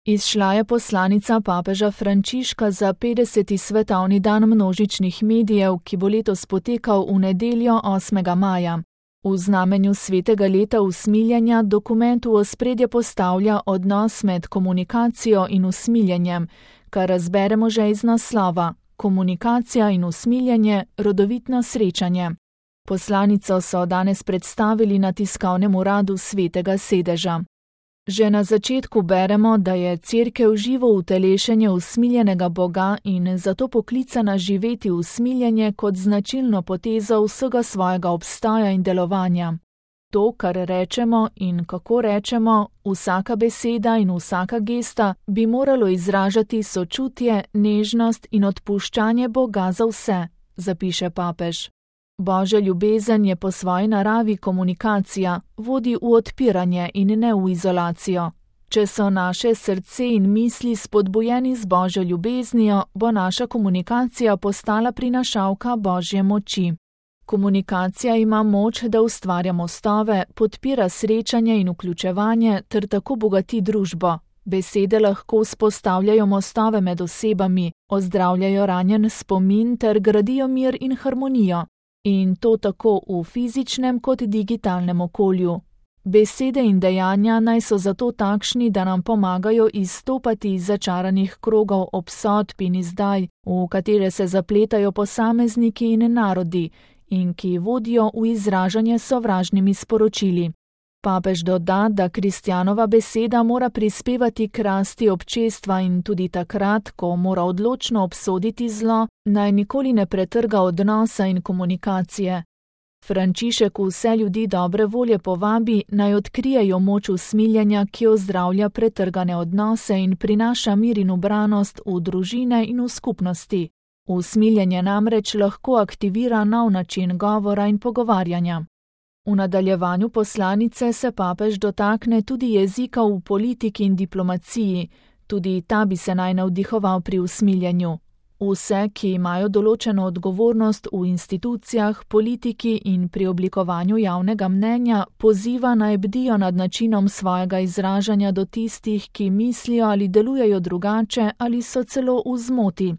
Izšla je poslanica papeža Frančiška za 50. svetovni dan množičnih medijev, ki bo letos potekal v nedeljo 8. maja. V znamenju svetega leta usmiljenja dokument v ospredje postavlja odnos med komunikacijo in usmiljenjem, kar razberemo že iz naslova: Komunikacija in usmiljenje, rodovitno srečanje. Poslanico so danes predstavili na tiskovnem uradu Svetega sedeža. Že na začetku beremo, da je Cerkev živo utelešenje usmiljenega Boga in zato poklicana živeti usmiljenje kot značilno potezo vsega svojega obstoja in delovanja. To, kar rečemo in kako rečemo, vsaka beseda in vsaka gesta bi moralo izražati sočutje, nežnost in odpuščanje Boga za vse, zapiše papež. Božja ljubezen je po svoji naravi komunikacija, vodi v odpiranje in ne v izolacijo. Če so naše srce in misli spodbujeni z Božjo ljubeznijo, bo naša komunikacija postala prinašalka Božje moči. Komunikacija ima moč, da ustvarja mostove, podpira srečanje in vključevanje ter tako bogati družbo. Besede lahko vzpostavljajo mostove med osebami, ozdravljajo ranjen spomin ter gradijo mir in harmonijo. In to tako v fizičnem kot digitalnem okolju. Besede in dejanja naj so zato takšni, da nam pomagajo izstopati iz začaranih krogov obsodb in izdaj, v katere se zapletajo posamezniki in narodi, in ki vodijo v izražanje sovražnimi sporočili. Papež doda, da kristjanova beseda mora prispevati k rasti občestva in tudi takrat, ko mora odločno obsoditi zlo, naj nikoli ne pretrga odnosa in komunikacije. Frančišek vse ljudi dobre volje povabi, naj odkrijejo moč usmiljenja, ki ozdravlja pretrgane odnose in prinaša mir in ubranost v družine in v skupnosti. Usmiljenje namreč lahko aktivira nov način govora in pogovarjanja. V nadaljevanju poslanice se papež dotakne tudi jezika v politiki in diplomaciji, tudi ta bi se naj navdihoval pri usmiljenju. Vse, ki imajo določeno odgovornost v institucijah, politiki in pri oblikovanju javnega mnenja, poziva naj bdijo nad načinom svojega izražanja do tistih, ki mislijo ali delujejo drugače ali so celo v zmoti.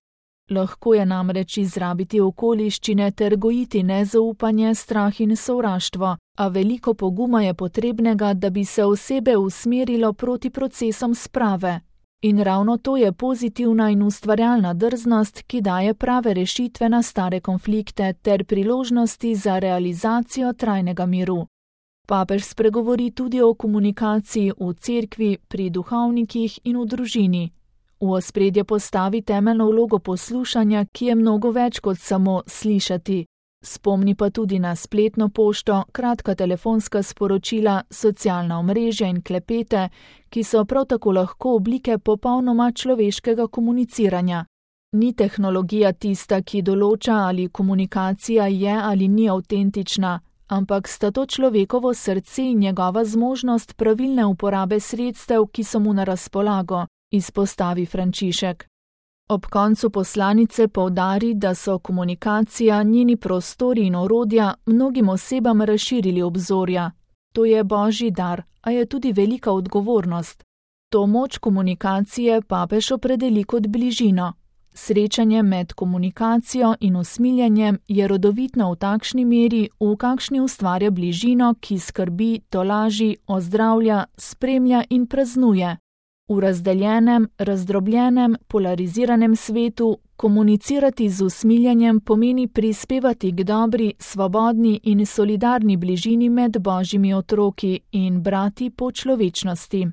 Lahko je namreč izrabiti okoliščine ter gojiti nezaupanje, strah in sovraštvo, a veliko poguma je potrebnega, da bi se osebe usmerilo proti procesom sprave. In ravno to je pozitivna in ustvarjalna drznost, ki daje prave rešitve na stare konflikte ter priložnosti za realizacijo trajnega miru. Papež spregovori tudi o komunikaciji v cerkvi, pri duhovnikih in v družini. V ospredje postavi temeljno vlogo poslušanja, ki je mnogo več kot samo slišati. Spomni pa tudi na spletno pošto, kratka telefonska sporočila, socialna omrežja in klepete, ki so prav tako lahko oblike popolnoma človeškega komuniciranja. Ni tehnologija tista, ki določa, ali komunikacija je ali ni avtentična, ampak sta to človekovo srce in njegova zmožnost pravilne uporabe sredstev, ki so mu na razpolago, izpostavi Frančišek. Ob koncu poslanice poudari, da so komunikacija, njeni prostori in orodja mnogim osebam razširili obzorja. To je Božji dar, a je tudi velika odgovornost. To moč komunikacije papež opredeli kot bližino. Srečanje med komunikacijo in usmiljenjem je rodovitno v takšni meri, v kakšni ustvarja bližino, ki skrbi, tolaži, ozdravlja, spremlja in praznuje. V razdeljenem, razdrobljenem, polariziranem svetu komunicirati z usmiljenjem pomeni prispevati k dobri, svobodni in solidarni bližini med Božjimi otroki in brati po človečnosti.